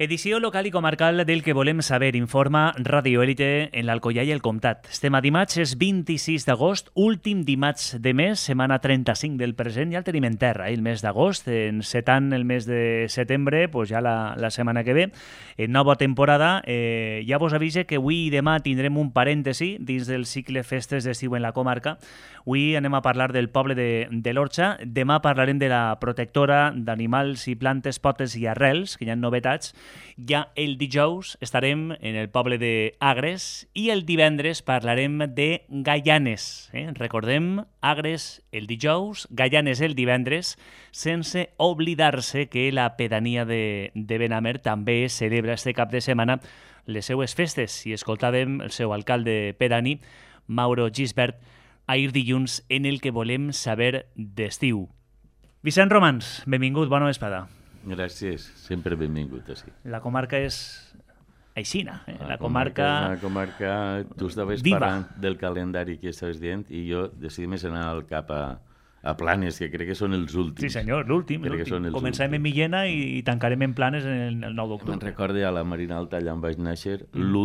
Edició local i comarcal del que volem saber, informa Radio Élite en l'Alcoià i el Comtat. Estem a dimarts, és 26 d'agost, últim dimarts de mes, setmana 35 del present, ja el tenim en terra, el mes d'agost, encetant el mes de setembre, pues ja la setmana que ve, en nova temporada. Ja vos avise que avui i demà tindrem un parèntesi dins del cicle Festes d'Estiu en la comarca. Avui anem a parlar del poble de l'Orxa, demà parlarem de la protectora d'animals i plantes, potes i arrels, que hi ha novetats. Ja el dijous estarem en el poble d'Agres i el divendres parlarem de Gaianes. Recordem, Agres el dijous, Gaianes el divendres, sense oblidar-se que la pedania de Benamer també celebra este cap de setmana les seues festes. I escoltàvem el seu alcalde pedani, Mauro Gisbert, ahir dilluns en el que volem saber d'estiu. Vicent Romans, benvingut, bona vesprada. Gràcies, sempre benvingut així. La comarca és aixina. La comarca... És una comarca... Tu estaves parlant del calendari que estaves dient i jo decidim anar al cap a Planes, que crec que són els últims. Sí senyor, l'últim. Començarem en Millena i tancarem en Planes el 9 d'octubre. Me'n recordo a la Marina Alta, allà on vaig néixer, les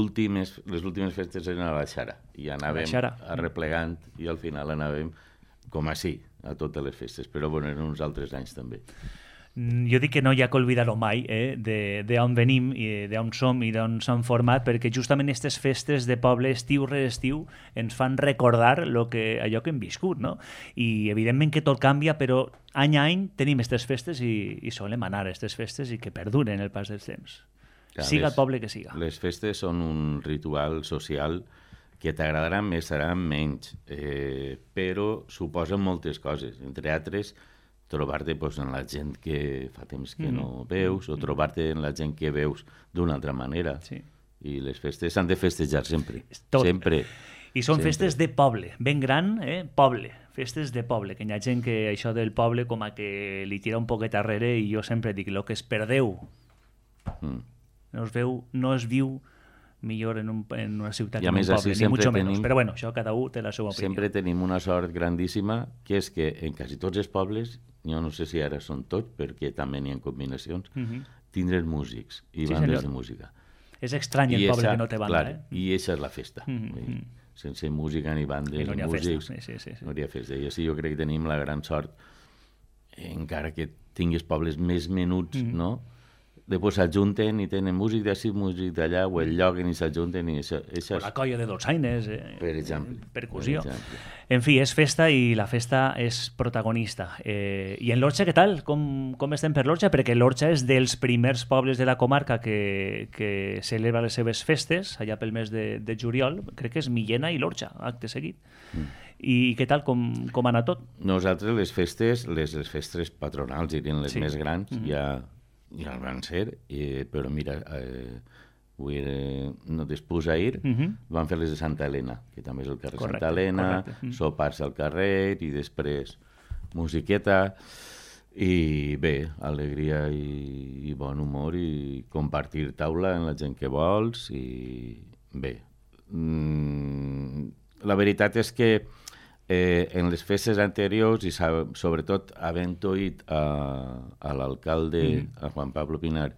últimes festes eren a la Xara i anàvem arreplegant i al final anàvem com així a totes les festes, però bueno, eren uns altres anys també. Jo dic que no hi ha que oblidar-ho mai, d'on venim, i d'on som i d'on s'han format, perquè justament aquestes festes de poble estiu rere estiu ens fan recordar allò que hem viscut, no? I evidentment que tot canvia, però any a any tenim aquestes festes i solem anar a aquestes festes i que perduren el pas dels temps. Siga el poble que siga. Les festes són un ritual social que t'agradarà més, serà menys, però suposen moltes coses, entre altres trobar-te en la gent que fa temps que no veus o trobar-te en la gent que veus d'una altra manera. Sí. I les festes s'han de festejar sempre. Tot. Sempre. I són festes de poble, ben gran, poble. Festes de poble, que hi ha gent que això del poble com a que li tira un poquet arrere i jo sempre dic, el que es perdeu no es viu millor en una ciutat que en un poble, ni mucho menos. Però bueno, això cada un té la seva opinió. Sempre tenim una sort grandíssima, que és que en quasi tots els pobles, jo no sé si ara són tots, perquè també n'hi ha combinacions, tindrem músics i bandes de música. És estrany el poble que no té banda. I aquesta és la festa. Sense música ni bandes ni músics no hi ha festa. I així jo crec que tenim la gran sort, encara que tinguis pobles més menuts, no?, després s'ajunten i tenen músic d'ací, músic d'allà, o el lloc i s'ajunten i això... O la colla de dolçaines, per exemple. Percussió. En fi, és festa i la festa és protagonista. I en l'Orxa, què tal? Com estem per l'Orxa? Perquè l'Orxa és dels primers pobles de la comarca que celebra les seves festes, allà pel mes de juliol. Crec que és Millena i l'Orxa, acte seguit. I què tal? Com ha anat tot? Nosaltres les festes patronals, dirien les més grans, ja el van ser, però mira, després ahir van fer les de Santa Helena, que també és el carrer Santa Helena, sopars al carrer i després musiqueta i bé, alegria i bon humor i compartir taula amb la gent que vols i bé. La veritat és que en les festes anteriors i sobretot havent oït a l'alcalde, a Juan Pablo Pinar,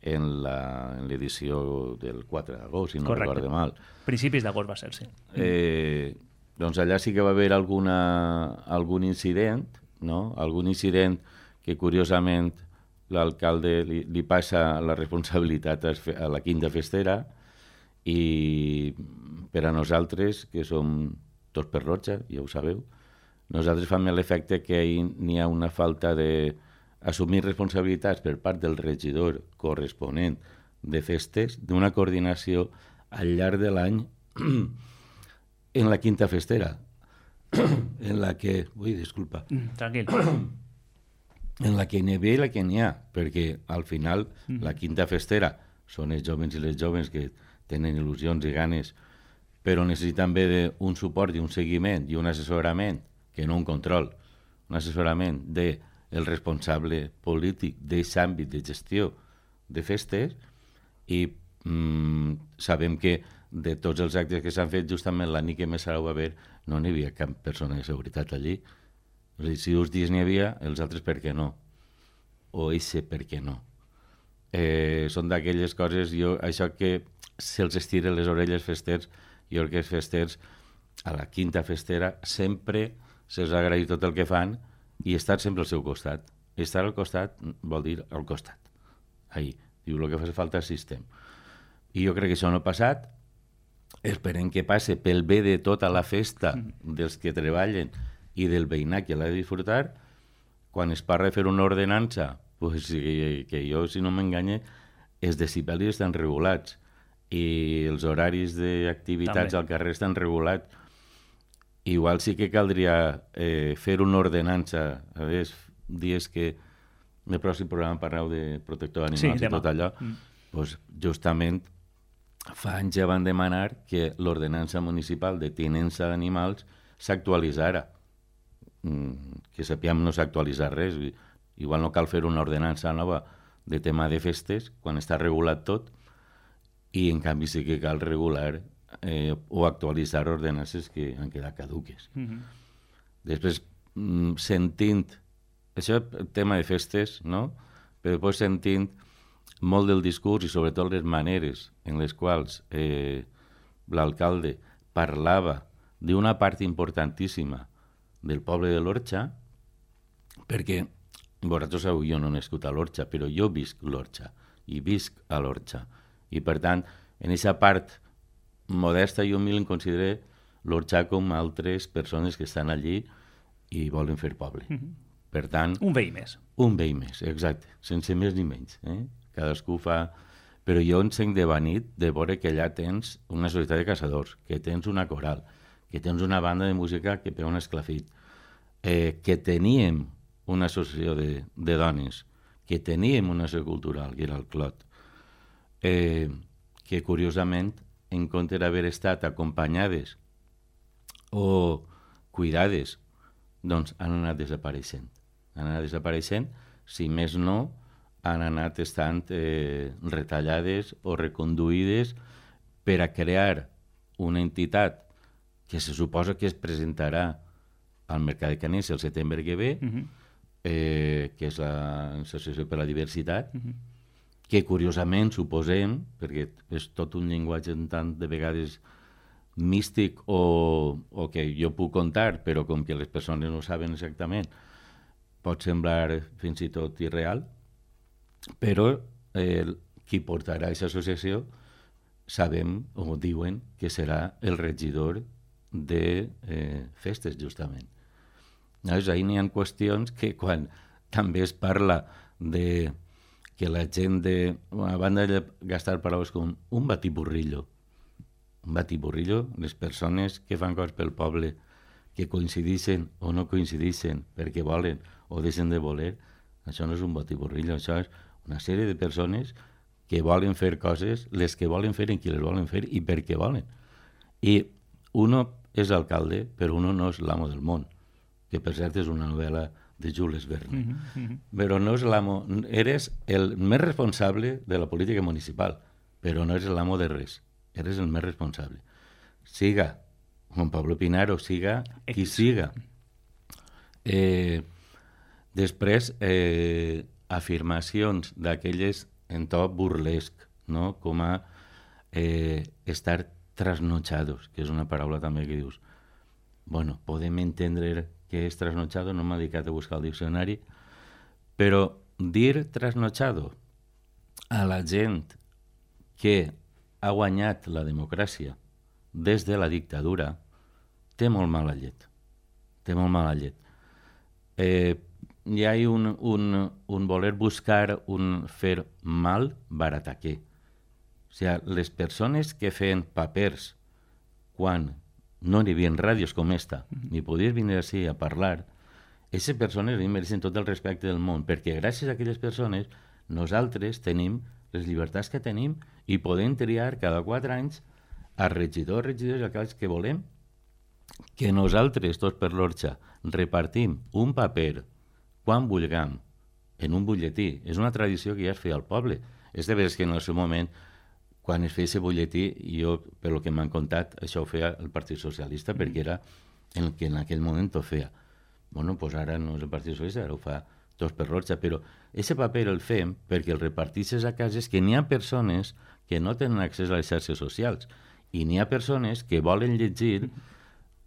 en l'edició del 4 d'agost, si no recordo mal. Principis d'agost va ser, sí. Doncs allà sí que va haver algun incident, no? Algun incident que curiosament l'alcalde li passa la responsabilitat a la quinta festera i per a nosaltres, que som tots per l'Orxa, ja ho sabeu, nosaltres fem l'efecte que n'hi ha una falta d'assumir responsabilitats per part del regidor corresponent de festes, d'una coordinació al llarg de l'any en la quinta festera, en la que... Ui, disculpa. Tranquil. En la que n'hi havia i la que n'hi ha, perquè al final la quinta festera són els joves i les joves que tenen il·lusions i ganes, però necessiten també un suport i un seguiment i un assessorament, que no un control, un assessorament del responsable polític d'aquest àmbit de gestió de festes i sabem que de tots els actes que s'han fet justament la nit que més serà va haver no n'hi havia cap persona de seguretat allí. És a dir, si uns dies n'hi havia, els altres per què no? O eixe per què no? són d'aquelles coses, això que se'ls estira les orelles festers, jo crec que els festers, a la quinta festera, sempre se'ls agraït tot el que fan i estar sempre al seu costat. Estar al costat vol dir al costat. Ahí. Diu, el que fa falta és sistema. I jo crec que això no ha passat. Esperem que passe pel bé de tota la festa dels que treballen i del veïnat que l'ha de disfrutar. Quan es parla de fer una ordenança, pues, que jo, si no m'enganye, els decibelis estan regulats i els horaris d'activitats al carrer estan regulats. Igual sí que caldria fer una ordenança. A veure, dies que en el pròxim programa parleu de protector d'animals i tot allò, doncs justament fa anys ja van demanar que l'ordenança municipal de tinença d'animals s'actualitzara. Que sapiem no s'ha actualitzat res. Igual no cal fer una ordenança nova de tema de festes quan està regulat tot, i en canvi sí que cal regular o actualitzar ordenances que han quedat caduques. Després, sentint això, tema de festes, no? Però després sentint molt del discurs i sobretot les maneres en les quals l'alcalde parlava d'una part importantíssima del poble de l'Orxa, perquè vosaltres sabeu, jo no he nascut a l'Orxa, però jo visc l'Orxa i visc a l'Orxa. I per tant, en aquesta part modesta i humil em considero l'Orxa com altres persones que estan allí i volen fer poble. Per tant... Un veí més. Un veí més, exacte, sense més ni menys. Cadascú fa... Però jo encenc de nit de veure que allà tens una societat de caçadors, que tens una coral, que tens una banda de música que pega un esclafit, que teníem una associació de dones, que teníem una associació cultural, que era el Clot, que curiosament, en compte d'haver estat acompanyades o cuidades, doncs han anat desapareixent. Han anat desapareixent, si més no, han anat estant retallades o reconduïdes per a crear una entitat que se suposa que es presentarà al Mercat de Canes el setembre que ve, que és l'Associació per la Diversitat, que curiosament suposem, perquè és tot un llenguatge tant de vegades místic o que jo puc contar, però com que les persones no saben exactament, pot semblar fins i tot irreal, però qui portarà aquesta associació sabem o diuen que serà el regidor de festes, justament. Llavors, ahir n'hi ha qüestions que quan també es parla de que la gent a banda de gastar paraules com un batiburrillo, les persones que fan coses pel poble, que coincideixen o no coincideixen perquè volen o deixen de voler, això no és un batiburrillo, això és una sèrie de persones que volen fer coses, les que volen fer en qui les volen fer i per què volen. I uno és alcalde, però uno no és l'amo del món, que per cert és una novel·la de Jules Verne. Però no és l'amo, eres el més responsable de la política municipal, però no eres l'amo de res, eres el més responsable. Siga Juan Pablo Pinaro, siga qui siga. Després, afirmacions d'aquelles en to burlesc, no? Com a estar trasnochados, que és una paraula també que dius, bueno, podem entendre que és trasnochado, no m'ha dedicat a buscar el diccionari, però dir trasnochado a la gent que ha guanyat la democràcia des de la dictadura té molt mala llet. Té molt mala llet. Hi ha un voler buscar un fer mal barataquer. O sigui, les persones que feien papers quan no hi havia ràdios com esta, ni podies venir així a parlar, aquestes persones mereixen tot el respecte del món, perquè gràcies a aquelles persones nosaltres tenim les llibertats que tenim i podem triar cada 4 anys a regidors i alcaldes que volem, que nosaltres, tots per l'Orxa, repartim un paper quan vulguem en un butlletí. És una tradició que ja es feia al poble. És de veres que en el seu moment, quan es feia aquest butlletí, jo, per lo que m'han contat, això ho feia el Partit Socialista, perquè era el que en aquell moment ho feia. Bueno, doncs ara no és el Partit Socialista, ara ho fa tots per l'Orxa, però aquest paper el fem perquè el reparteixes a cases que n'hi ha persones que no tenen accés a les xarxes socials i n'hi ha persones que volen llegir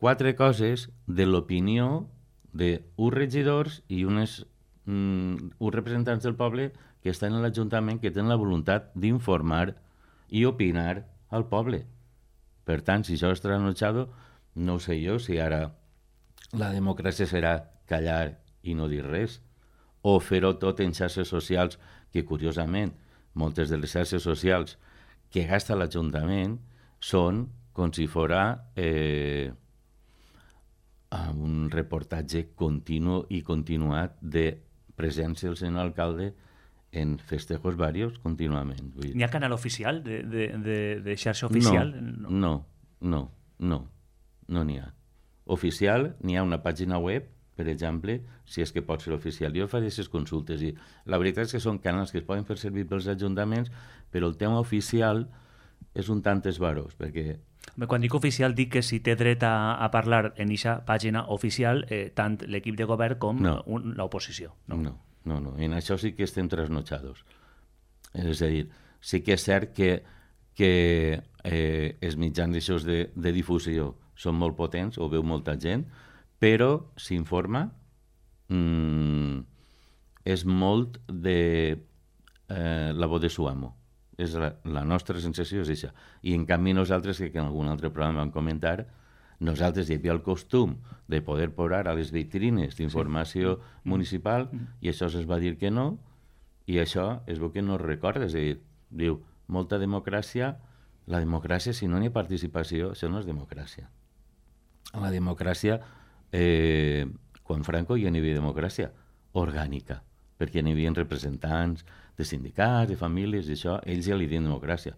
4 coses de l'opinió d'uns regidors i uns representants del poble que estan a l'Ajuntament, que tenen la voluntat d'informar i opinar al poble. Per tant, si això és trasnotxado, no sé jo si ara la democràcia serà callar i no dir res, o fer-ho tot en xarxes socials, que curiosament moltes de les xarxes socials que gasta l'Ajuntament són com si fora un reportatge continu i continuat de presència del senyor alcalde en festejos varios contínuament. N'hi ha canal oficial de xarxa oficial? No n'hi ha. Oficial, n'hi ha una pàgina web, per exemple, si és que pot ser oficial. Jo faré aquestes consultes i la veritat és que són canals que es poden fer servir pels ajuntaments, però el tema oficial és un tant esbarós, perquè... Quan dic oficial dic que si té dret a parlar en aquesta pàgina oficial tant l'equip de govern com l'oposició. No, en això sí que estem trasnotxados. És a dir, sí que és cert que els mitjans de difusió són molt potents, ho veu molta gent, però s'informa, és molt de la voz de su amo. És la nostra sensació és això. I en canvi nosaltres, que en algun altre programa vam comentar, nosaltres hi havia el costum de poder posar a les vitrines d'informació municipal i això es va dir que no, i això es veu que no es recorda. És a dir, diu, molta democràcia, la democràcia, si no n'hi ha participació, això no és democràcia. La democràcia, quan Franco ja n'hi havia democràcia orgànica, perquè n'hi havia representants de sindicats, de famílies, i això, ells ja li diuen democràcia.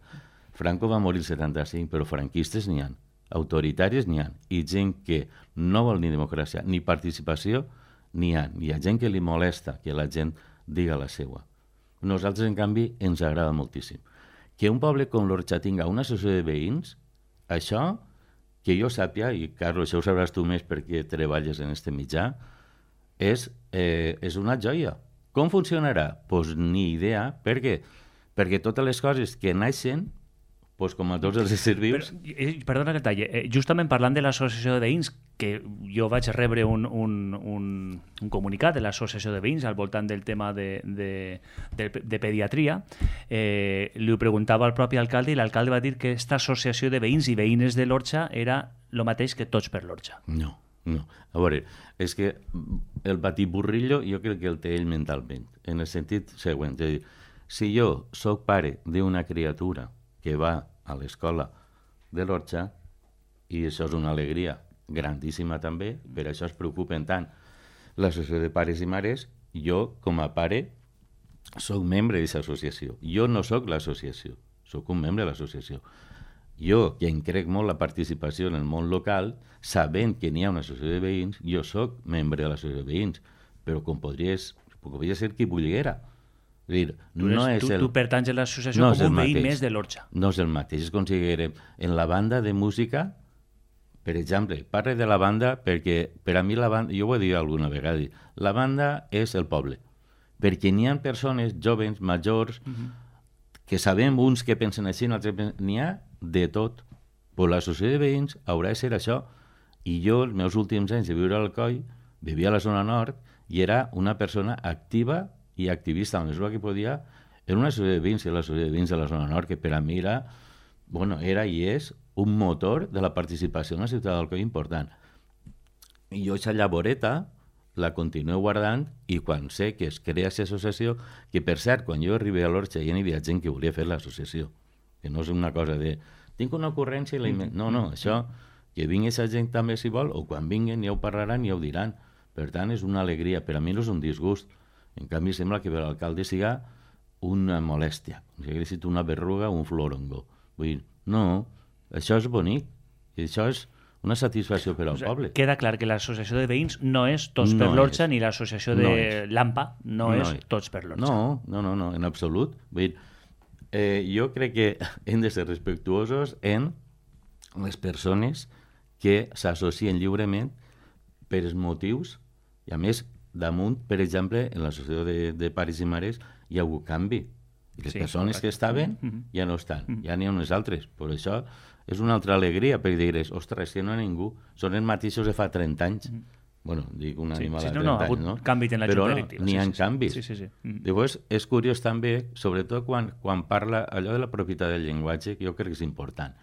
Franco va morir el 75, però franquistes n'hi ha, autoritaris n'hi ha, i gent que no vol ni democràcia ni participació n'hi ha. Hi ha gent que li molesta que la gent diga la seva. Nosaltres, en canvi, ens agrada moltíssim. Que un poble com l'Orxa tinga una associació de veïns, això, que jo sàpia, i Carlos, això ho sabràs tu més perquè treballes en este mitjà, és una joia. Com funcionarà? Doncs ni idea. Per què? Perquè totes les coses que naixen, doncs com a tots els éssers vius... Perdona que talle. Justament parlant de l'associació de veïns, que jo vaig rebre un comunicat de l'associació de veïns al voltant del tema de pediatria, li ho preguntava al propi alcalde i l'alcalde va dir que aquesta associació de veïns i veïnes de l'Orxa era el mateix que tots per l'Orxa. No. A veure, és que el batiburrillo jo crec que el té ell mentalment, en el sentit següent. És a dir, si jo sóc pare d'una criatura que va a l'escola de l'Orxa, i això és una alegria grandíssima també, per això es preocupen tant l'associació de pares i mares, jo, com a pare, sóc membre d'aquesta associació. Jo no sóc l'associació, sóc un membre de l'associació. Jo, que em crec molt la participació en el món local, sabent que n'hi ha una associació de veïns, jo sóc membre de l'associació de veïns, però com podria ser qui volguera. És dir, tu pertanys a l'associació com un veí més de l'Orxa. No és el mateix, és com si diguérem, en la banda de música, per exemple, parle de la banda perquè per a mi la banda, jo ho he dit alguna vegada, la banda és el poble, perquè n'hi ha persones joves, majors, que sabem uns que pensen així, n'hi ha de tot. Però l'associació de veïns haurà de ser això. I jo, els meus últims anys de viure a Alcoi, vivia a la zona nord i era una persona activa i activista, a la mesura que podia, en una associació de veïns, l'associació de veïns de la zona nord, que per a mi era i és un motor de la participació en la ciutat d'Alcoi important. I jo aquesta llavoreta la continuo guardant i quan sé que es crea aquesta associació, que per cert, quan jo arribé a l'Orxa ja n'hi havia gent que volia fer l'associació, que no és una cosa de tinc una ocurrència i la no, això, que vingui aquesta gent també si vol, o quan vinguen ja ho parlaran i ja ho diran. Per tant, és una alegria, per a mi no és un disgust. En canvi, sembla que per l'alcalde siga una molèstia, com si hagués estat una berruga o un florongo. Vull dir, no, això és bonic, i això és una satisfacció per al poble. Queda clar que l'associació de veïns no és Tots per l'Orxa, ni l'associació de l'AMPA no és Tots per l'Orxa. No, en absolut. Vull dir, jo crec que hem de ser respectuosos en les persones que s'associen lliurement per els motius, i a més damunt, per exemple, en l'associació de pares i mares hi ha hagut canvi. Les persones que estaven ja no estan, ja n'hi ha unes altres. Per això és una altra alegria, per dir, ostres, que no hi ha ningú. Són els mateixos de fa 30 anys. Bueno, dic un animal de 30 anys, no? Canvis en la Però junta directiva. n'hi ha canvis. Sí. Llavors, és curiós també, sobretot quan parla allò de la propietat del llenguatge, que jo crec que és important.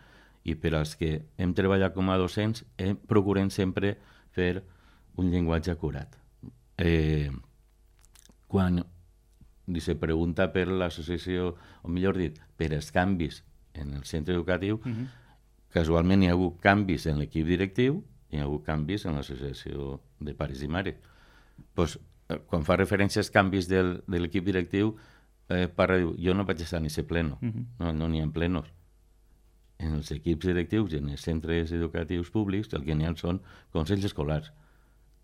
I per als que hem treballat com a docents, procurem sempre fer un llenguatge acurat. Quan se pregunta per l'associació, o millor dit, per els canvis en el centre educatiu, casualment hi ha hagut canvis en l'equip directiu i hi ha hagut canvis en l'associació de pares i mares. Pues, quan fa referència als canvis de l'equip directiu, parla, diu, jo no vaig estar en aquest pleno, no n'hi ha plenos. En els equips directius i en els centres educatius públics el que n'hi ha són consells escolars,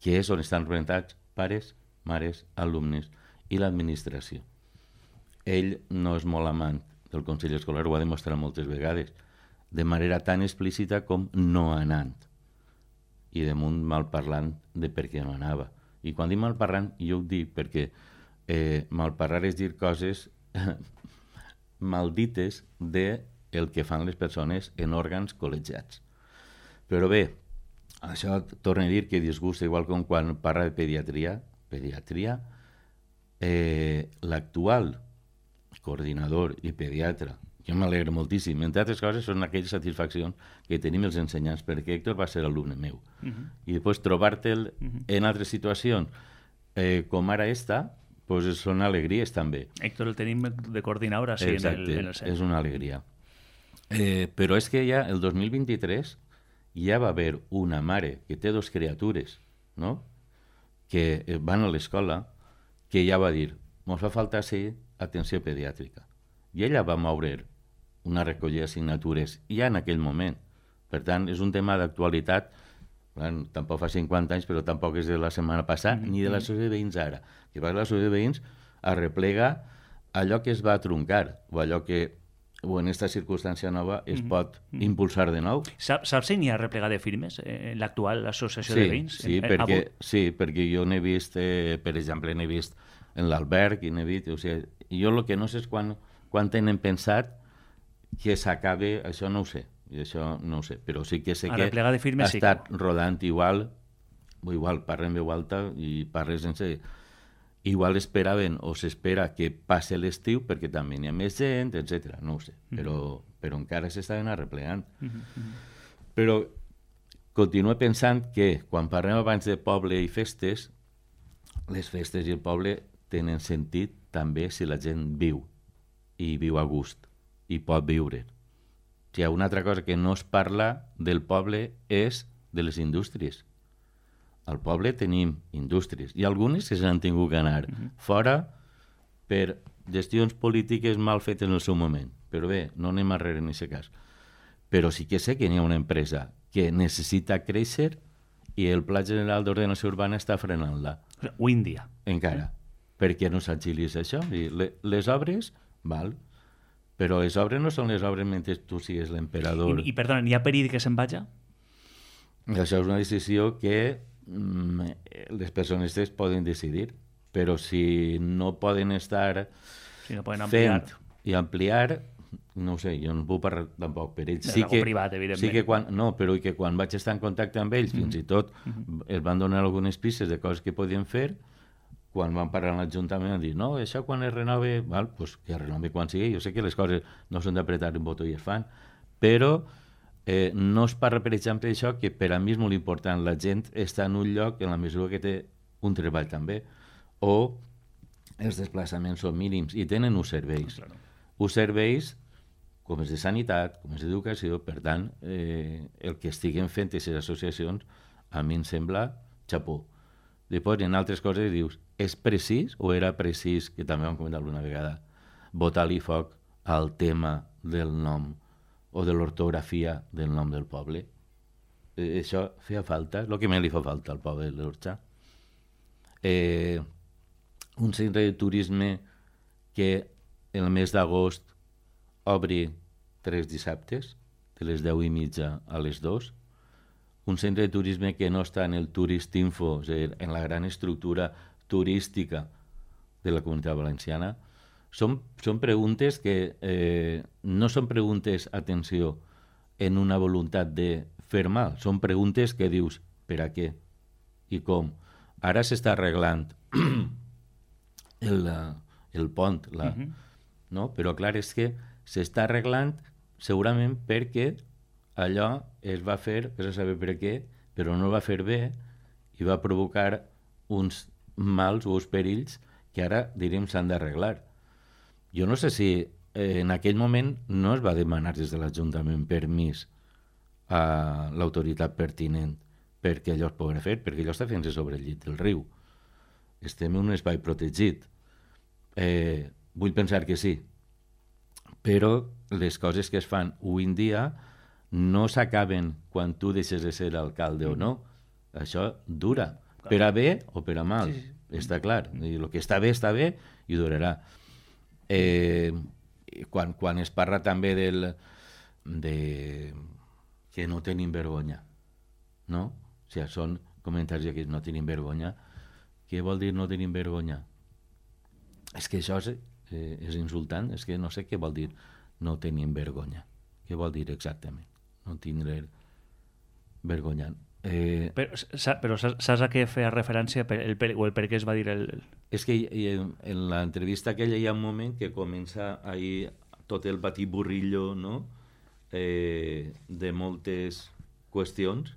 que és on estan representats pares, mares, alumnes i l'administració. Ell no és molt amant del Consell Escolar, ho ha demostrat moltes vegades, de manera tan explícita com no anant. I damunt malparlant de per què no anava. I quan dic malparlant, jo ho dic perquè malparlar és dir coses maldites de el que fan les persones en òrgans col·legiats. Però bé, això torna a dir que disgusta, igual com quan parla de pediatria, l'actual coordinador i pediatre, jo m'alegro moltíssim, entre altres coses són aquelles satisfaccions que tenim els ensenyants, perquè Héctor va ser alumne meu. I després trobar-te'l en altres situacions com ara esta, pues són alegries també. Héctor el tenim de coordinador així en el centre. És una alegria. Però és que ja el 2023 ja va haver una mare que té 2 criatures, no?, que van a l'escola, que ja va dir, ens fa falta atenció pediàtrica. I ella va moure una recollida d'assignatures ja en aquell moment. Per tant, és un tema d'actualitat, tampoc fa 50 anys, però tampoc és de la setmana passada, ni de l'associació de veïns ara. Que va l'associació de veïns a replegar allò que es va truncar, o allò que o en aquesta circumstància nova es pot impulsar de nou. Saps si n'hi ha replegat de firmes en l'actual associació de veïns? Sí, perquè jo n'he vist, per exemple, n'he vist en l'Alberg, i n'he vist... O sigui, jo el que no sé és quan tenen pensat que s'acabe, això no ho sé, però sí que sé que ha estat rodant igual parla en veu alta i parla sense... Igual esperaven o s'espera que passe l'estiu perquè també n'hi ha més gent, etc. No ho sé, però encara s'estaven arreplegant. Però continuo pensant que quan parlem abans de poble i festes, les festes i el poble tenen sentit també si la gent viu i viu a gust i pot viure. Si hi ha una altra cosa que no es parla del poble és de les indústries. Al poble tenim indústries i algunes que s'han tingut que anar fora per gestions polítiques mal fetes en el seu moment. Però bé, no anem arrere en aquest cas. Però sí que sé que hi ha una empresa que necessita créixer i el Pla General d'Ordenació Urbana està frenant-la. Índia. Encara. Per què no s'agilitza això? Les obres, val, però les obres no són les obres mentre tu sigues l'emperador. I perdona, n'hi ha perill que se'n vaja? Això és una decisió que les persones poden decidir, però si no poden estar fent i ampliar, no ho sé, jo no puc parlar tampoc per ells. Sí que privat, evidentment. Sí que quan vaig estar en contacte amb ells, fins i tot els van donar algunes pistes de coses que podien fer, quan van parlar amb l'Ajuntament van dir, no, això quan es renove, pues que es renove quan sigui. Jo sé que les coses no són d'apretar un botó i es fan, però no es parla, per exemple, d'això, que per a mi és molt important. La gent està en un lloc en la mesura que té un treball també, o els desplaçaments són mínims i tenen uns serveis. Uns serveis com és de sanitat, com és d'educació, per tant, el que estiguen fent aquestes associacions a mi em sembla xapó. Després, en altres coses dius, és precís o era precís, que també vam comentar alguna vegada, botar-li foc al tema del nom o de l'ortografia del nom del poble. Això feia falta, el que més li fa falta al poble de l'Orxà. Un centre de turisme que el mes d'agost obri 3 dissabtes, de les 10:30 a les 2. Un centre de turisme que no està en el Touristinfo, o sigui, en la gran estructura turística de la Comunitat Valenciana, són preguntes que no són preguntes, atenció, en una voluntat de fer mal, són preguntes que dius, per a què i com. Ara s'està arreglant el pont, no? Però clar, és que s'està arreglant segurament perquè allò es va fer, que se sabe per què, però no va fer bé i va provocar uns mals o uns perills que ara, diríem, s'han d'arreglar. Jo no sé si en aquell moment no es va demanar des de l'Ajuntament permís a l'autoritat pertinent perquè allò es pugui fer, perquè allò està fent-se sobre el llit del riu. Estem en un espai protegit. Vull pensar que sí, però les coses que es fan avui en dia no s'acaben quan tu deixes de ser alcalde o no. Això dura, per a bé o per a mal, està clar. El que està bé i durarà. Quan es parla també de que no tenim vergonya, no? O sigui, són comentaris que no tenim vergonya. Què vol dir no tenim vergonya? És que això és insultant, és que no sé què vol dir no tenim vergonya. Què vol dir exactament? No tindré vergonya. Però saps a què feia referència o el per què es va dir És que en l'entrevista aquella hi ha un moment que comença ahir tot el batiburrillo, no? De moltes qüestions,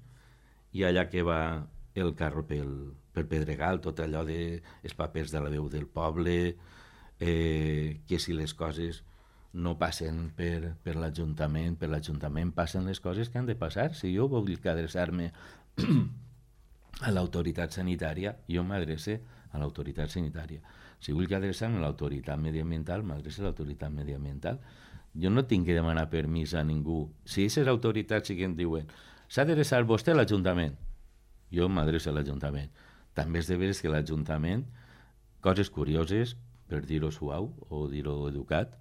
i allà que va el carro per Pedregal, tot allò dels papers de la veu del poble, que si les coses no passen per l'Ajuntament, per l'Ajuntament passen les coses que han de passar. Si jo vull adreçar-me a l'autoritat sanitària, jo m'adrece a l'autoritat sanitària. Si vull adreçar-me a l'autoritat mediambiental, m'adrece a l'autoritat mediambiental. Jo no tinc que demanar permís a ningú. Si aquestes autoritats sí que em diuen s'ha d'adreçar vostè a l'Ajuntament, jo m'adreço a l'Ajuntament. També és de veres que l'Ajuntament, coses curioses, per dir-ho suau o dir-ho educat,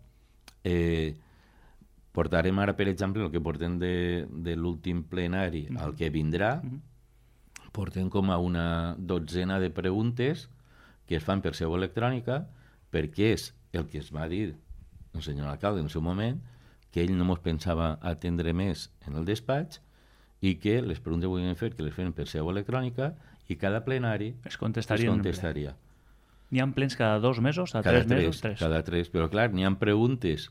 portarem ara, per exemple, el que portem de l'últim plenari al que vindrà, portem com a una dotzena de preguntes que es fan per seu electrònica, perquè és el que es va dir el senyor alcalde en el seu moment, que ell no mos pensava atendre més en el despatx i que les preguntes que volien fer, que les feien per seu electrònica, i cada plenari es contestaria. N'hi ha plens cada 2 mesos, cada 3 mesos? Cada 3, però clar, n'hi ha preguntes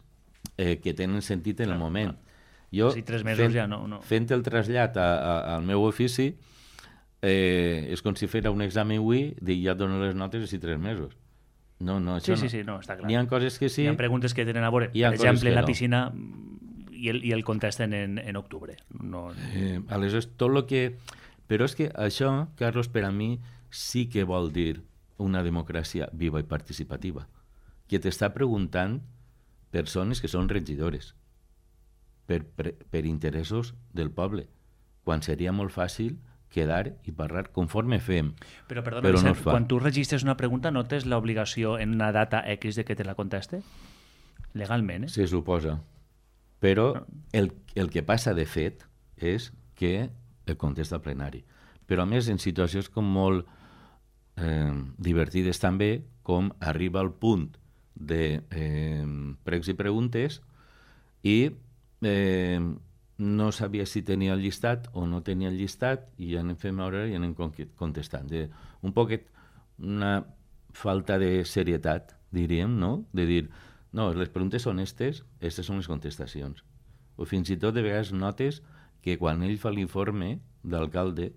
que tenen sentit en el moment. Jo, si 3 mesos ja no. Fent el trasllat al meu ofici, és com si fera un examen avui i ja et dono les notes si 3 mesos. No, això no, està clar. N'hi ha coses que sí. Hi ha preguntes que tenen a veure, per exemple, la piscina i el contesten en octubre. Aleshores, tot el que... Però és que això, Carlos, per a mi sí que vol dir una democràcia viva i participativa, que t'està preguntant persones que són regidores per interessos del poble, quan seria molt fàcil quedar i parlar conforme fem. Però perdona, Vicent, no es fa. Quan tu registres una pregunta no tens l'obligació en una data X de que te la conteste? Legalment, Se suposa. Però el que passa de fet és que el contesta al plenari. Però a més en situacions com molt divertides també, com arriba al punt de pregs i preguntes i no sabia si tenia el llistat o no tenia el llistat i ja anem fent hora i anem contestant. Un poquet una falta de serietat, diríem, no? De dir, no, les preguntes són aquestes són les contestacions. O fins i tot de vegades notes que quan ell fa l'informe d'alcalde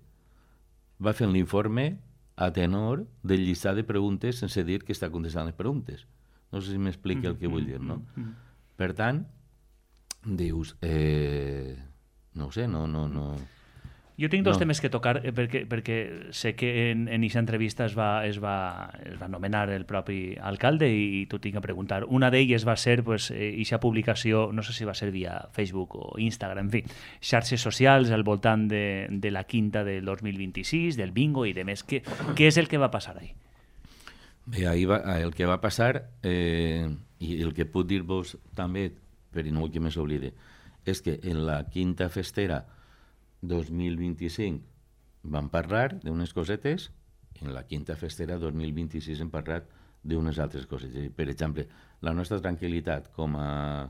va fent l'informe a tenor del llistat de preguntes sense dir que està contestant les preguntes. No sé si m'explica el que vull dir, no? Per tant, dius, no ho sé, no... Jo tinc dos temes que tocar perquè sé que en aquesta entrevista es va nomenar el propi alcalde i t'ho tinc a preguntar. Una d'elles va ser aquesta publicació, no sé si va ser via Facebook o Instagram, en fi, xarxes socials al voltant de la quinta del 2026, del bingo i de més. Què és el que va passar ahí? Bé, el que va passar, i el que puc dir-vos també, però no vull que més oblide, és que en la quinta festera 2025 vam parlar d'unes cosetes en la Quinta Festera 2026 hem parlat d'unes altres coses. Per exemple, la nostra tranquil·litat com a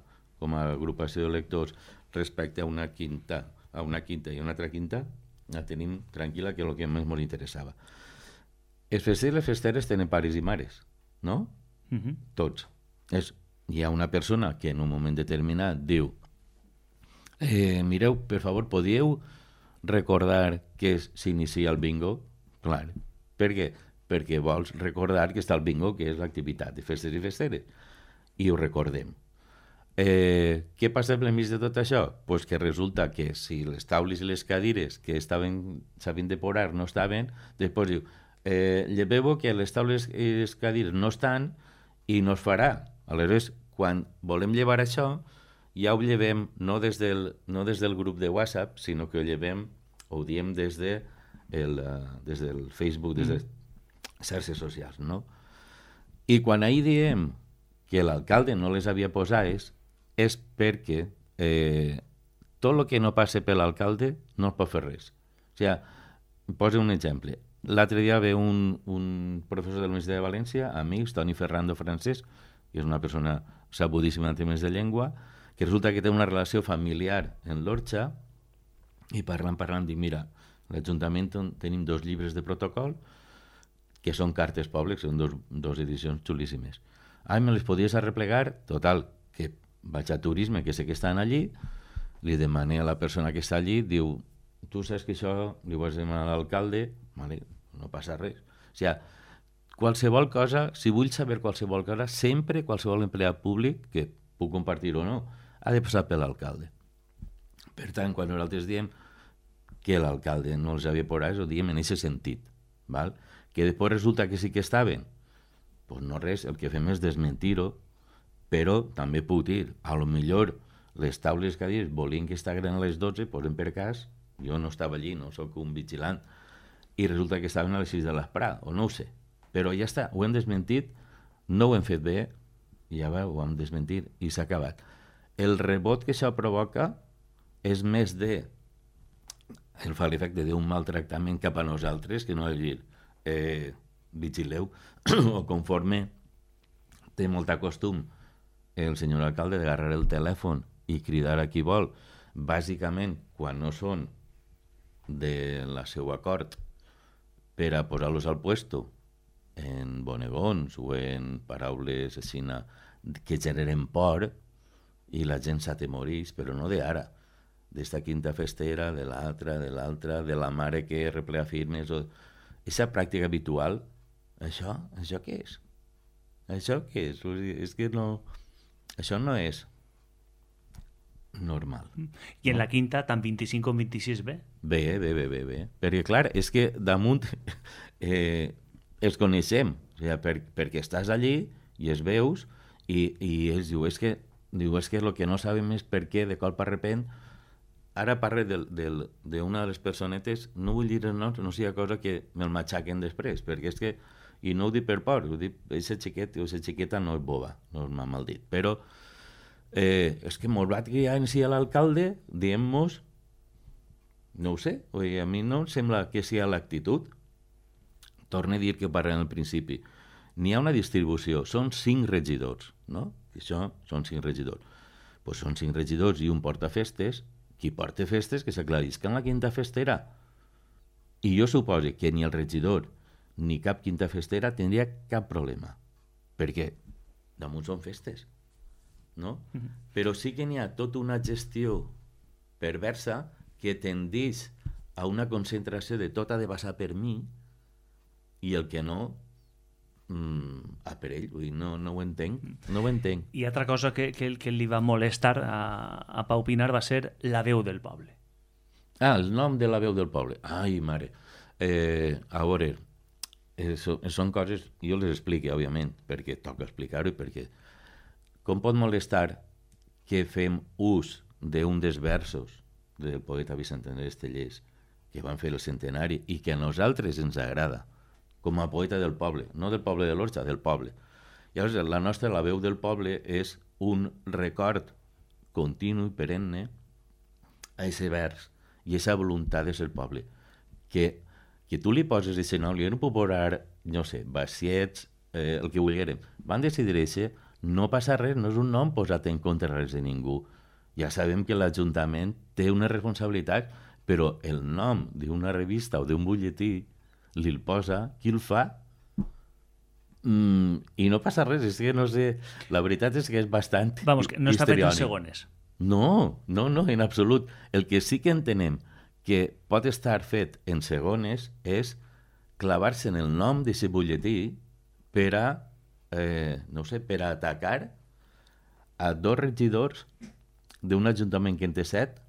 agrupació de lectors respecte a una quinta i una altra quinta, la tenim tranquil·la, que és el que més ens interessava. Els festers i les festeres tenen pares i mares, no? Tots. Hi ha una persona que en un moment determinat diu mireu, per favor, podíeu recordar que s'inicia el bingo? Clar. Per què? Perquè vols recordar que està el bingo, que és l'activitat de festes i festeres. I ho recordem. Què passa per enmig de tot això? Pues que resulta que si les taules i les cadires que s'havien de posar no estaven, després diu, lleveu que les taules i les cadires no estan i no es farà. Aleshores, quan volem llevar això, ja ho llevem no des del grup de WhatsApp, sinó que ho diem des del Facebook, des de xarxes socials, no? I quan ahir diem que l'alcalde no les havia posades és perquè tot el que no passa per l'alcalde no es pot fer res. O sigui, poso un exemple. L'altre dia ve un professor de la Universitat de València, amics, Toni Ferrando Francesc, que és una persona sabudíssima en temes de llengua, que resulta que té una relació familiar en l'Orxa, i parlant, dic, mira, l'Ajuntament tenim 2 llibres de protocol, que són cartes pobles, són dos edicions xulíssimes. Me les podies arreplegar? Total, que vaig a turisme, que sé que estan allí, li demané a la persona que està allí, diu, tu saps que això li vas demanar a l'alcalde? Vale, no passa res. O sigui, qualsevol cosa, si vull saber qualsevol cosa, sempre qualsevol empleat públic, que puc compartir o no, ha de passar per l'alcalde. Per tant, quan nosaltres diem que l'alcalde no els havia posat, ho diem en aquest sentit. Val? Que després resulta que sí que estaven, doncs no res, el que fem és desmentir-ho, però també puc dir, a lo millor les taules que dius volien que estiguin a les 12, posem per cas, jo no estava allí, no sóc un vigilant, i resulta que estaven a les 6 de l'esprà, o no ho sé. Però ja està, ho hem desmentit, no ho hem fet bé, i ja va, ho hem desmentit, i s'ha acabat. El rebot que això provoca és més de el fa l'efecte d'un maltractament cap a nosaltres, que no és dir, vigileu, o conforme té molt costum el senyor alcalde d'agarrar el telèfon i cridar a qui vol, bàsicament quan no són de la seu acord per a posar-los al puesto en bonegons o en paraules així que generen por i la gent s'atemorís, però no d'ara, d'esta quinta festera, de l'altra, de la mare que replea firmes, o aquesta pràctica habitual, això què és? Això què és? És que no... Això no és normal. I en la quinta, tant 25 com 26 bé? Bé. Perquè, clar, és que damunt els coneixem, o sigui, perquè estàs allí i els veus i ells diu, és que el que no sabem és per què, de colp a repent. Ara parle d'una de les personetes, no vull dir els noms, no sigui cosa que me'l matxaquen després, perquè és que, i no ho dic per por, ho dic, aquesta xiqueta no és boba, no m'ha mal dit, però és que molt blat que ja en si l'alcalde, diem-nos, no ho sé, a mi no em sembla que sigui l'actitud. Torne a dir que parlem al principi. N'hi ha una distribució, són 5 regidors, no? Això són 5 regidors. Doncs són 5 regidors i un portafestes. Qui porta festes que s'aclarisca en la quinta festera. I jo suposo que ni el regidor ni cap quinta festera tindria cap problema, perquè damunt són festes, no? Però sí que n'hi ha tota una gestió perversa que tendeix a una concentració de tot ha de passar per mi i el que no a per ell, vull dir, no ho entenc. I altra cosa que li va molestar a Pau Pinar va ser la veu del poble. El nom de la veu del poble. Ai, mare. A veure, són coses, jo les explico, òbviament, perquè toca explicar-ho, perquè com pot molestar que fem ús d'un dels versos del poeta Vicent Andrés Tellers que van fer el centenari i que a nosaltres ens agrada, com a poeta del poble, no del poble de l'Orxa, del poble. Llavors, la veu del poble és un record continu i perenne a aquest vers i a aquesta voluntat de ser poble, que que tu li poses aquest nom, li puc posar, no sé, Baciets, el que vulguérem. Van decidir això, no passa res, no és un nom posat en contra res de ningú. Ja sabem que l'Ajuntament té una responsabilitat, però el nom d'una revista o d'un butlletí li el posa, qui el fa? I no passa res, és que no sé, la veritat és que és bastant Vamos, que no està fet en histriònic. segones. No, en absolut. El que sí que entenem que pot estar fet en segones és clavar-se en el nom d'aquest butlletí per a, no sé, per a atacar a 2 regidors d'un ajuntament que en té 7,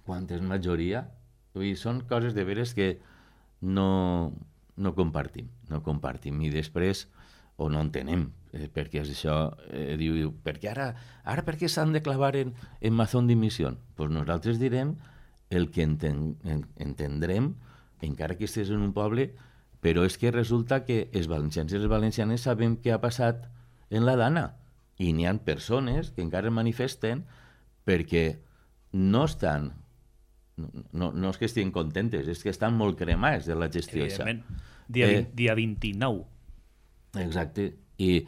quan és majoria. Vull dir, són coses de veres que no compartim. I després, o no entenem, perquè és això, diu, perquè ara per què s'han de clavar en Mazón d'Imisión? Pues nosaltres direm el que entendrem, encara que estés en un poble, però és que resulta que els valencians i les valencianes sabem què ha passat en la Dana, i n'hi ha persones que encara manifesten perquè no estan, no és que estiguin contentes, és que estan molt cremats de la gestió. Evidentment. Dia 29. Exacte. I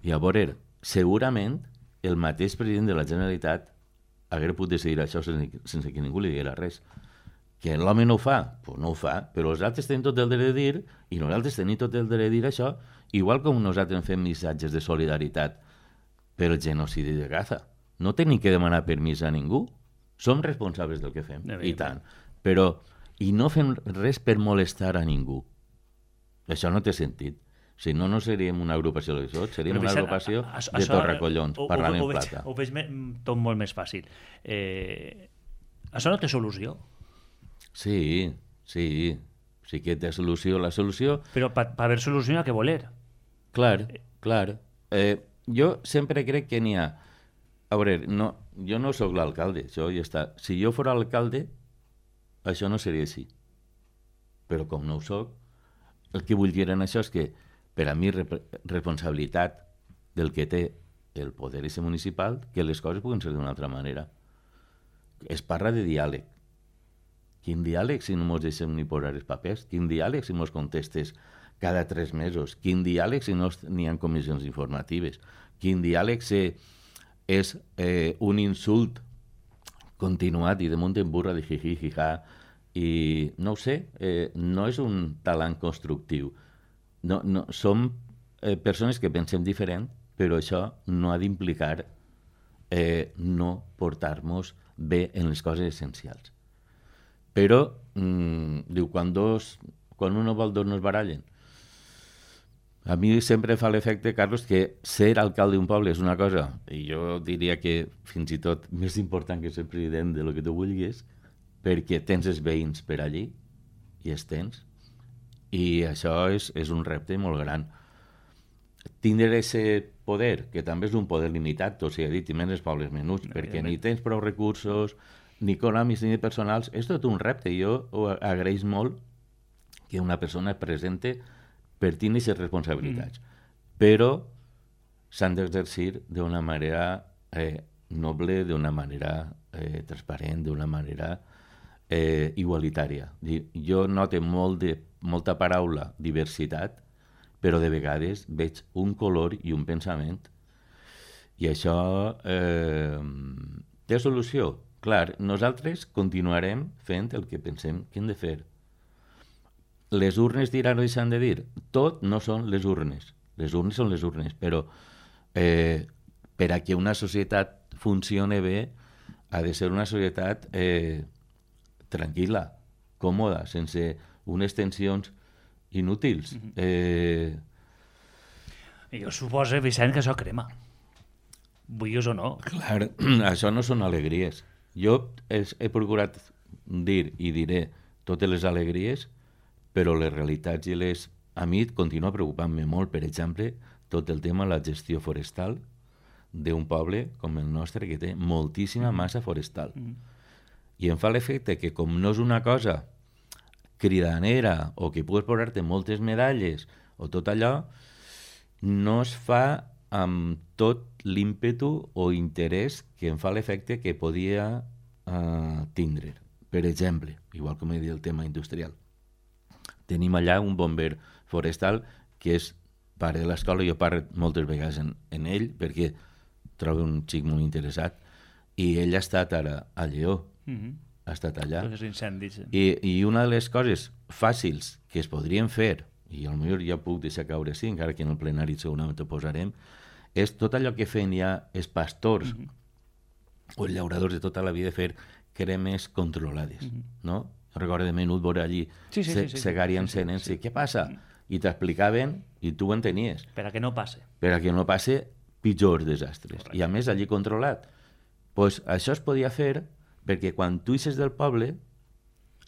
a veure, segurament el mateix president de la Generalitat hagués pogut decidir això sense que ningú li diguera res. Que l'home no ho fa? Pues no ho fa, però els altres tenen tot el dret de dir, i nosaltres tenim tot el dret de dir això, igual com nosaltres fem missatges de solidaritat per el genocidi de Gaza. No tenim que demanar permís a ningú. Som responsables del que fem, i tant. Però, i no fem res per molestar a ningú. Això no té sentit. Si no, no seríem una agrupació de tot, seríem una agrupació de torracollons, parlant en plata. Ho veig tot molt més fàcil. Això no té solució. Sí que té solució. La solució... Però per haver solució hi ha que voler. Clar. Jo sempre crec que n'hi ha... A veure, jo no sóc l'alcalde, això ja està. Si jo fos alcalde, això no seria així. Però com no ho soc, el que vull dir en això és que per a mi responsabilitat del que té el poder municipal que les coses puguen ser d'una altra manera. Es parla de diàleg. Quin diàleg si no mos deixem ni posar els papers? Quin diàleg si mos contestes cada 3 mesos? Quin diàleg si no n'hi ha comissions informatives? Quin diàleg si és un insult continuat i damunt en burra de jiji, jijà, i no ho sé, no és un talent constructiu. Som persones que pensem diferent, però això no ha d'implicar no portar-nos bé en les coses essencials. Però, diu, quan un vol dos no es barallen. A mi sempre fa l'efecte, Carlos, que ser alcalde d'un poble és una cosa, i jo diria que fins i tot més important que ser president de lo que tu vulguis, perquè tens els veïns per allí, i els tens, i això és un repte molt gran. Tindre aquest poder, que també és un poder limitat, tot s'hi ha dit, i menys els pobles menuts, perquè ni tens prou recursos, ni econòmics ni personals, és tot un repte. Jo ho agraeix molt que una persona es presente per tenir aquestes responsabilitats. Però s'han d'exercir d'una manera noble, d'una manera transparent, d'una manera igualitària. Jo noto molta paraula diversitat, però de vegades veig un color i un pensament. I això té solució. Clar, nosaltres continuarem fent el que pensem que hem de fer. Les urnes diran o deixan de dir? Tot no són les urnes. Les urnes són les urnes, però per a que una societat funcioni bé ha de ser una societat tranquil·la, còmoda, sense unes tensions inútils. Jo suposo, Vicent, que això crema. Vulguis o no. Clar, això no són alegries. Jo he procurat dir i diré totes les alegries, però les realitats i les... A mi continua preocupant-me molt, per exemple, tot el tema de la gestió forestal d'un poble com el nostre, que té moltíssima massa forestal. I em fa l'efecte que, com no és una cosa cridanera o que pugues posar-te moltes medalles o tot allò, no es fa amb tot l'ímpetu o interès que em fa l'efecte que podia tindre. Per exemple, igual com he dit el tema industrial. Tenim allà un bomber forestal que és pare de l'escola, jo parlo moltes vegades en ell perquè trobo un xic molt interessat, i ell ha estat ara a Lleó, ha estat allà. Incendis. I una de les coses fàcils que es podrien fer, i potser ja puc deixar caure així, encara que en el plenari segurament ho posarem, és tot allò que feien ja els pastors o els llauradors de tota la vida, fer cremes controlades, no? Recordo de menut veure allí segari encenent, què passa? I t'explicaven i tu ho entenies. Per a que no passe. Per a que no passe pitjors desastres. Correcte. I a més allí controlat. Pues això es podia fer perquè quan tu ixes del poble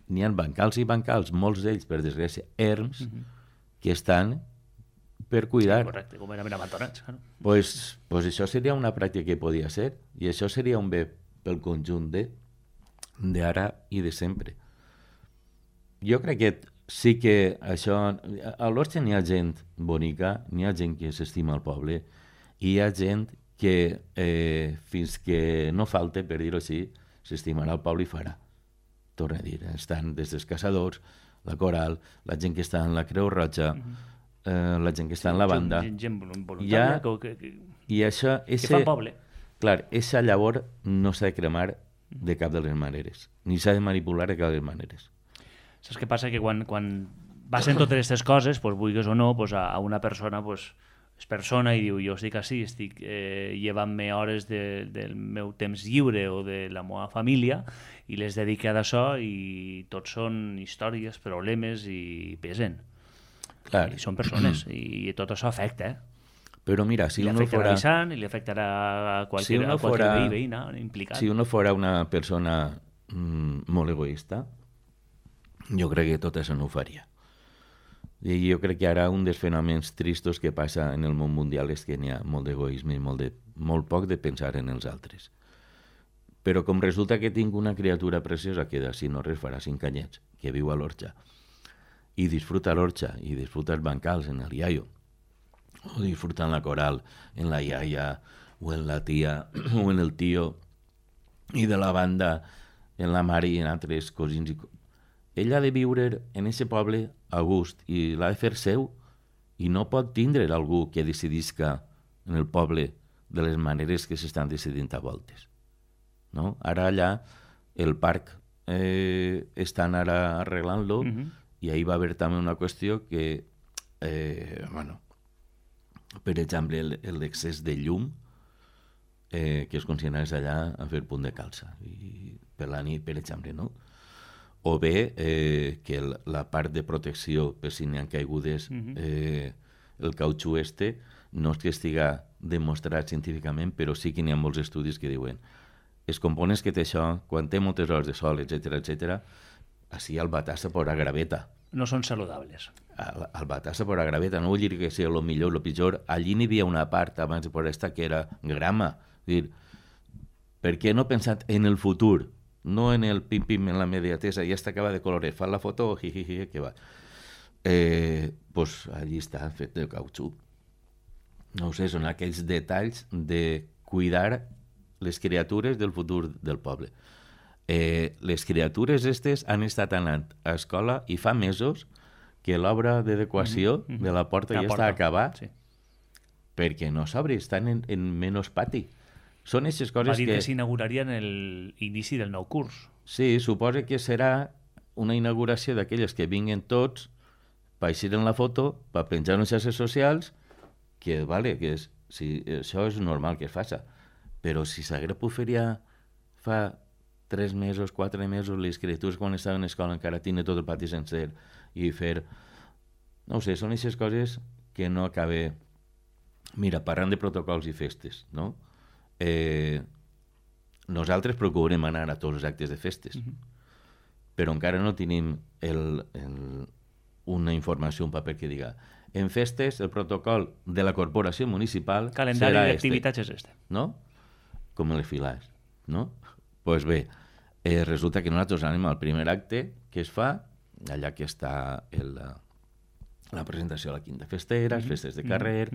n'hi ha bancals i bancals, molts d'ells, per desgràcia, erms, que estan per cuidar. Correcte, com eren abandonats. Pues això seria una pràctica que podia ser, i això seria un bé pel conjunt d'ara i de sempre. Jo crec que sí que això... A l'Orxa n'hi ha gent bonica, n'hi ha gent que s'estima el poble, i hi ha gent que fins que no falte, per dir-ho així, s'estimarà el poble i farà. Torna a dir, estan des dels caçadors, la Coral, la gent que està en la Creu Roja, la gent que està en la banda. Gent voluntària i això, que fa poble. Clar, aquesta llavor no s'ha de cremar de cap de les maneres, ni s'ha de manipular de cap de les maneres. Saps què passa? Que quan passen totes aquestes coses, pues, vulguis o no, pues, a una persona pues, és persona i diu, jo estic així, estic llevant-me hores del meu temps lliure o de la meva família i les dedique a d'això, i tots són històries, problemes, i pesen. Clar. I són persones, i tot això afecta, Però mira, si uno fora... I li afectarà a qualsevol veïna implicat. Si uno fora una persona molt egoista, jo crec que tot això no ho faria. I jo crec que ara un dels fenòmens tristos que passa en el món mundial és que n'hi ha molt d'egoisme i molt poc de pensar en els altres. Però com resulta que tinc una criatura preciosa que d'ací no res farà 5 anyets, que viu a l'Orxa, i disfruta l'Orxa, i disfruta els bancals en el iaio, o disfruta en la Coral, en la iaia, o en la tia, o en el tio, i de la banda, en la mare i en altres cosins. Ell ha de viure en aquest poble a gust i l'ha de fer seu, i no pot tindre algú que decidisca en el poble de les maneres que s'estan decidint a voltes. No? Ara allà el parc estan ara arreglant-lo, i ahir va haver també una qüestió que, per exemple, l'excés de llum que es considerés allà a fer punt de calça, i per la nit, per exemple, no? O bé que la part de protecció per si n'hi ha caigudes, el cautxú no és que estiga demostrat científicament, però sí que n'hi ha molts estudis que diuen els components que té això, quan té moltes hores de sol, etc., així el batassa por a graveta. No són saludables. El batassa por a graveta, no vull dir que sigui el millor o el pitjor. Allí n'hi havia una part abans de por esta que era grama. És dir, per què no pensat en el futur? No en el pim-pim, en la mediatesa, ja està acaba de colorear, fa la foto, jijiji, que va. Pues allí està fet de cautxú. No ho sé, són aquells detalls de cuidar les criatures del futur del poble. Les criatures aquestes han estat anant a escola i fa mesos que l'obra d'adequació de la porta ja està acabada, perquè no s'obre, estan en menys pati. Són aquestes coses va dir que s'inauguraria en l'inici del nou curs. Sí, suposa que serà una inauguració d'aquelles que vinguen tots per eixir en la foto, per penjar en les xarxes socials, que vale, que això és normal que es faci. Però si s'hagués pogut fer ja fa 3 mesos, 4 mesos, les criatures quan estaven a l'escola encara tenen tot el pati sencer, i fer... No ho sé, són aquestes coses que no acabe... Mira, parlant de protocols i festes, no? Nosaltres procurem anar a tots els actes de festes, però encara no tenim una informació, un paper que diga en festes el protocol de la corporació municipal calendari d'activitats és este. No? Com les filars, no? Doncs bé, resulta que nosaltres anem al primer acte que es fa, allà que està la presentació a la quinta festera, festes de carrer,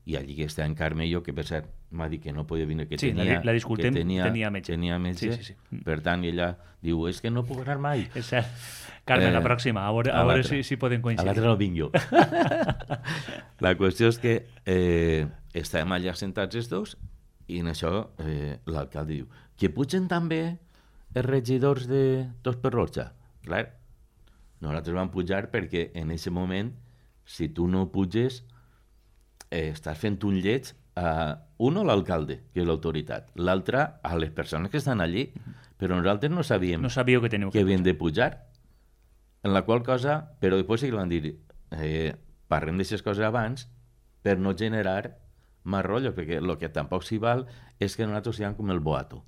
i allí que està en Carmello, que per cert m'ha dit que no podia venir, que Sí, tenia, la disculpem, que tenia metge. Tenia metge. Sí. Per tant, ella diu, és que no puc anar mai. És cert. Carme, la pròxima, a veure si podem A coincidir. l'altre no vinc jo. La qüestió és que estàvem allà sentats els dos i en això l'alcalde diu que pugen també els regidors de Tots per Roja. Clar, nosaltres vam pujar perquè en aquest moment, si tu no puges, estàs fent un lleig a un, l'alcalde, que és l'autoritat, l'altre a les persones que estan allí, però nosaltres no sabíem No sabíeu que teniu que havien de pujar. En la qual cosa, però després sí que van dir parlem d'aquestes coses abans per no generar més rotllo, perquè el que tampoc s'hi val és que nosaltres siguem com el boato.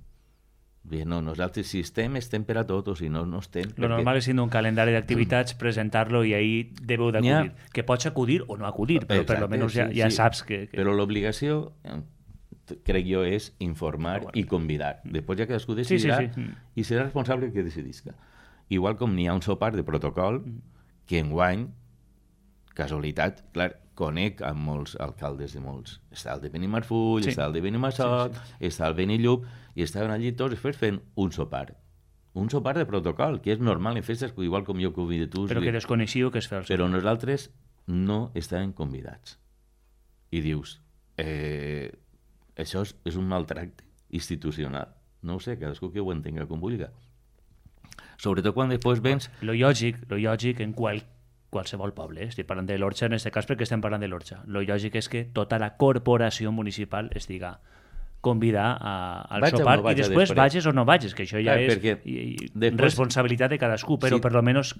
Bé, no, nosaltres si estem per a tot, o si no, no estem. Lo normal és tindre un calendari d'activitats, presentar-lo i ahí deveu d'acudir. Que pots acudir o no acudir, però per almenys ja saps que... Però l'obligació, crec jo, és informar i convidar. Després ja cadascú decidirà i serà responsable que decidisca. Igual com n'hi ha un sopar de protocol que enguany, casualitat, clar, conec amb molts alcaldes de molts. Està el de Benimarfull, està el de Benimassot, està el Benillup, i estaven allí tots després fent un sopar. Un sopar de protocol, que és normal en festes, igual com jo convido tu. Però que desconeixiu que es fa el sopar. Però nosaltres no estàvem convidats. I dius, això és un maltracte institucional. No ho sé, cadascú que ho entenga com vulgui. Sobretot quan després vens... Lo lògic en qualsevol poble, estic parlant de l'Orxa en aquest cas perquè estem parlant de l'Orxa, lo lògic és que tota la corporació municipal estiga convidar al sopar i després vages o no vages, que això ja és responsabilitat de cadascú, però per almenys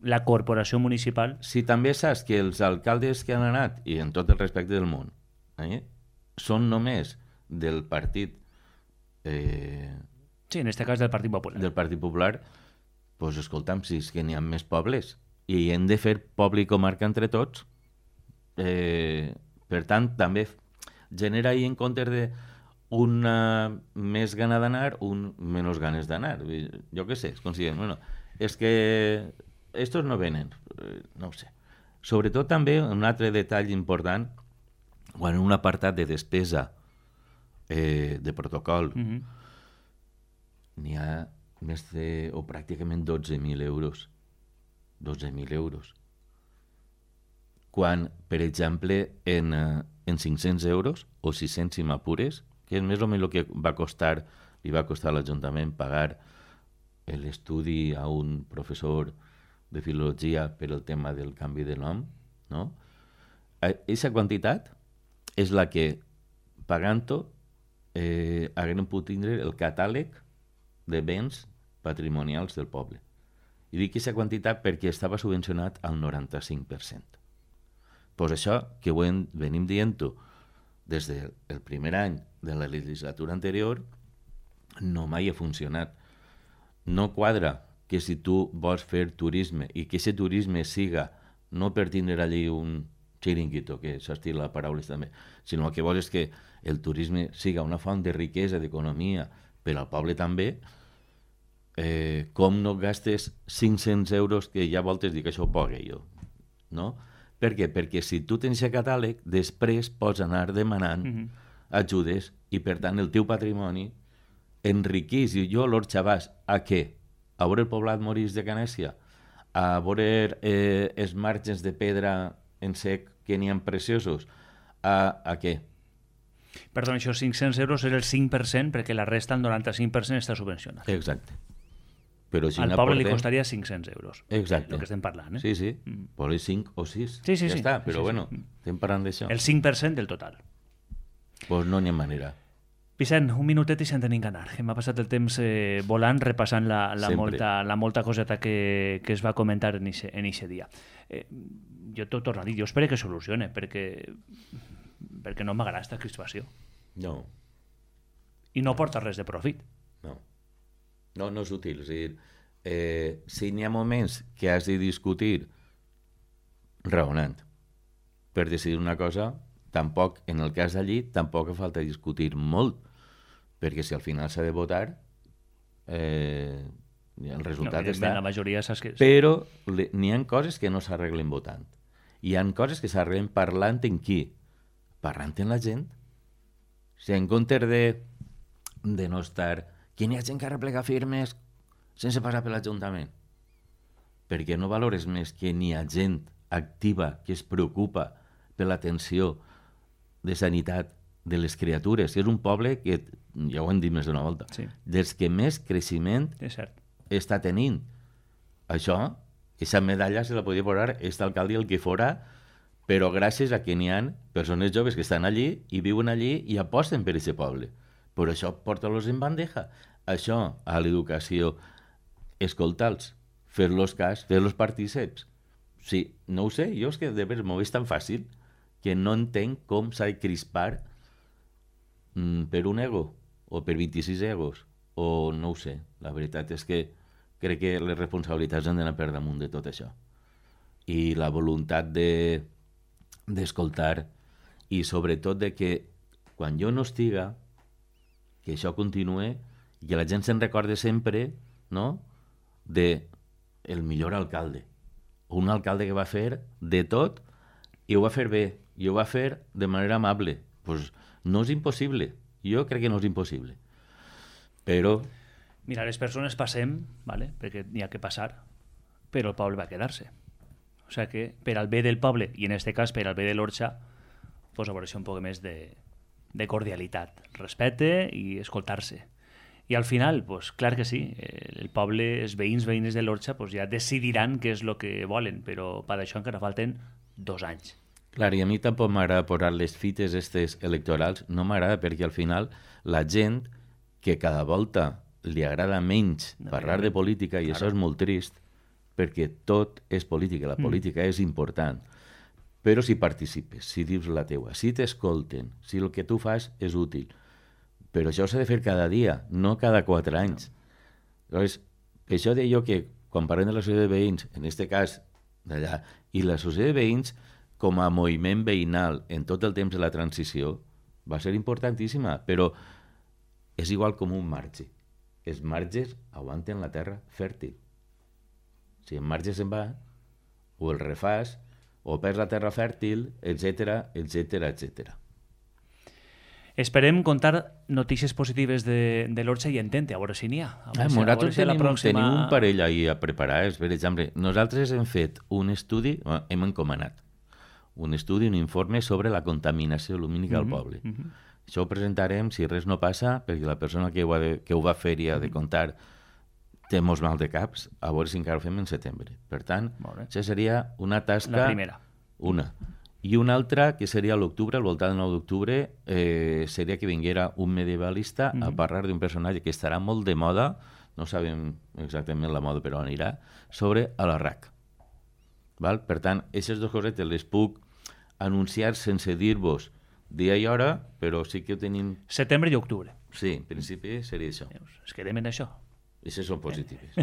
la corporació municipal... Si també saps que els alcaldes que han anat, i en tot el respecte del món, són només del partit... Sí, en aquest cas del Partit Popular. Del Partit Popular, doncs escolta'm, si és que n'hi ha més pobles i hem de fer poble i comarca entre tots, per tant, també genera ahir en comptes de un més gana d'anar, un menys ganes d'anar. Jo què sé, es consideren, bueno, és que estos no venen, no ho sé. Sobretot també un altre detall important, quan en un apartat de despesa de protocol n'hi ha més de, o pràcticament 12.000 euros. 12.000 euros. Quan, per exemple, en 500 euros o 600 si m'apures, que és més o menys el que li va costar a l'Ajuntament pagar l'estudi a un professor de filologia per el tema del canvi de nom, no? Aquesta quantitat és la que, pagant-ho, haguem pogut tindre el catàleg de béns patrimonials del poble. I dic aquesta quantitat perquè estava subvencionat al 95%. Pues això, que ho venim dient-ho des del primer any de la legislatura anterior, no mai ha funcionat. No quadra que si tu vols fer turisme i que aquest turisme siga no per tindre allí un xiringuito, que s'estila la paraula també, sinó el que vols és que el turisme siga una font de riquesa, d'economia, per al poble també, com no gastes 500 euros, que ja voltes dir que això ho pague jo, no? Per què? Perquè si tu tens el catàleg, després pots anar demanant ajudes i, per tant, el teu patrimoni enriquís. I jo, l'Orxa, vas a què? A veure el poblat Morís de Canèsia? A veure els marges de pedra en sec que n'hi ha preciosos? A què? Perdó, això 500 euros és el 5% perquè la resta, el 95%, està subvencionat. Exacte. Però si al poble li costaria 500 euros. Exacte. El que estem parlant, Sí, sí. Vol dir 5 o 6. Sí. Ja està, però bueno, estem parlant d'això. El 5% del total. Pues no n'hi ha manera. Vicent, un minutet i se'n tenim que anar. M'ha passat el temps volant, repassant la molta coseta que es va comentar en eixe dia. Jo t'ho torno a dir, jo espero que solucione, perquè no m'agrada aquesta crispació. No. I no porta res de profit. No és útil. És a dir, si n'hi ha moments que has de discutir raonant per decidir una cosa, tampoc, en el cas d'allí, tampoc falta discutir molt, perquè si al final s'ha de votar, el resultat està... La majoria saps que... Però n'hi ha coses que no s'arreglen votant. Hi ha coses que s'arreglen parlant en qui? parlant amb la gent. O sigui, en comptes de no estar... Que n'hi ha gent que arreplega firmes sense passar per l'Ajuntament. Perquè no valores més que n'hi ha gent activa que es preocupa per l'atenció de sanitat de les criatures. És un poble que, ja ho hem dit més d'una volta, Sí. dels que més creixement És cert. està tenint. Això, aquesta medalla se la podia posar aquest alcalde el que fora, però gràcies a que n'hi ha persones joves que estan allí i viuen allí i aposten per aquest poble. Però això porta-los en bandeja. Això, a l'educació, escolta'ls, fer-los cas, fer-los partíceps. Sí, no ho sé, jo és que de veres m'ho és tan fàcil que no entenc com s'ha de crispar per un ego, o per 26 egos, o no ho sé. La veritat és que crec que les responsabilitats han d'anar per damunt de tot això. I la voluntat d'escoltar i sobretot de que quan jo no estiga, que això continue i que la gent se'n recorde sempre, no?, de el millor alcalde. Un alcalde que va fer de tot i ho va fer bé, i ho va fer de manera amable. Pues no és impossible. Jo crec que no és impossible. Però... Mira, les persones passem, ¿vale? Perquè n'hi ha que passar, però el poble va quedar-se. O sigui que per al bé del poble, i en aquest cas per al bé de l'Orxa, pues a veure un poc més de cordialitat, respecte i escoltar-se. I al final, pues, clar que sí, el poble, els veïns de l'Orxa pues, ja decidiran què és el que volen, però per això encara falten 2 anys. Clar, i a mi tampoc m'agrada posar les fites estes electorals, no m'agrada perquè al final la gent que cada volta li agrada menys parlar de política, i això és molt trist, perquè tot és política, la política és important. Però si participes, si dius la teua, si t'escolten, si el que tu fas és útil. Però això s'ha de fer cada dia, no cada 4 anys. Llavors, per això deia jo que quan parlem de la societat de veïns, en aquest cas d'allà, i la societat de veïns com a moviment veïnal en tot el temps de la transició va ser importantíssima, però és igual com un marge. Els marges aguanten la terra fèrtil. Si el marge se'n va, o el refàs, o perds la terra fèrtil, etc, etc, etc. Esperem contar notícies positives de l'Orxa i Entente, a veure si n'hi ha. Nosaltres tenim un parell ahir a preparar. Per exemple, nosaltres hem fet un estudi, hem encomanat un estudi, un informe sobre la contaminació lumínica al poble. Això ho presentarem, si res no passa, perquè la persona que ho va fer i ha de contar té molts mal de caps, a veure si encara ho fem en setembre. Per tant, això seria una tasca... La primera. Una. I una altra, que seria a l'octubre, al voltant del 9 d'octubre, seria que vinguera un medievalista a parlar d'un personatge que estarà molt de moda, no sabem exactament la moda, però anirà, sobre Alarraq. Val? Per tant, aquestes dues cosetes les puc anunciar sense dir-vos dia i hora, però sí que ho tenim... Setembre i octubre. Sí, en principi seria això. Es quedem en això. Aquestes són positives.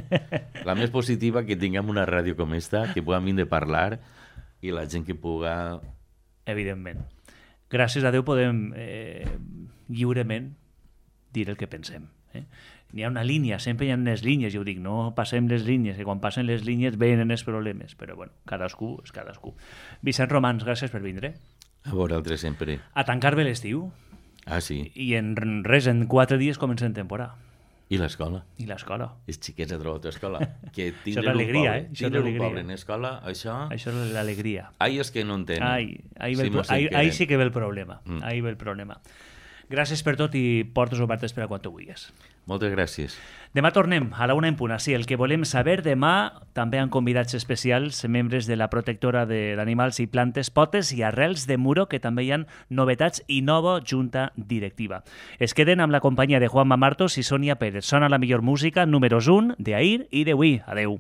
La més positiva, que tinguem una ràdio com esta, que puguem vindre a parlar i la gent que puga... Evidentment. Gràcies a Déu podem lliurement dir el que pensem. N'hi ha una línia, sempre hi ha unes línies, jo dic, no passem les línies, que quan passen les línies venen els problemes, però bueno, cadascú és cadascú. Vicent Romans, gràcies per vindre. A vosaltres sempre. A tancar bé l'estiu. Ah, sí. I en res, en 4 dies comencem temporada. I l'escola. I l'escola. Els xiquets de trobar escola. Que això és l'alegria, tindre un poble en escola, això... Això és l'alegria. Ai, és que no en tenen. Ahí sí que ve el problema. Ahí ve el problema. Gràcies per tot i portes obertes per a quan tu vulguis. Moltes gràcies. Demà tornem a la 1 en punt. Sí, el que volem saber demà també han convidats especials, membres de la protectora d'animals i plantes, potes i arrels de Muro, que també hi ha novetats i nova junta directiva. Es queden amb la companyia de Juanma Martos i Sònia Pérez. Sona la millor música, números 1, d'ahir i d'avui. Adeu.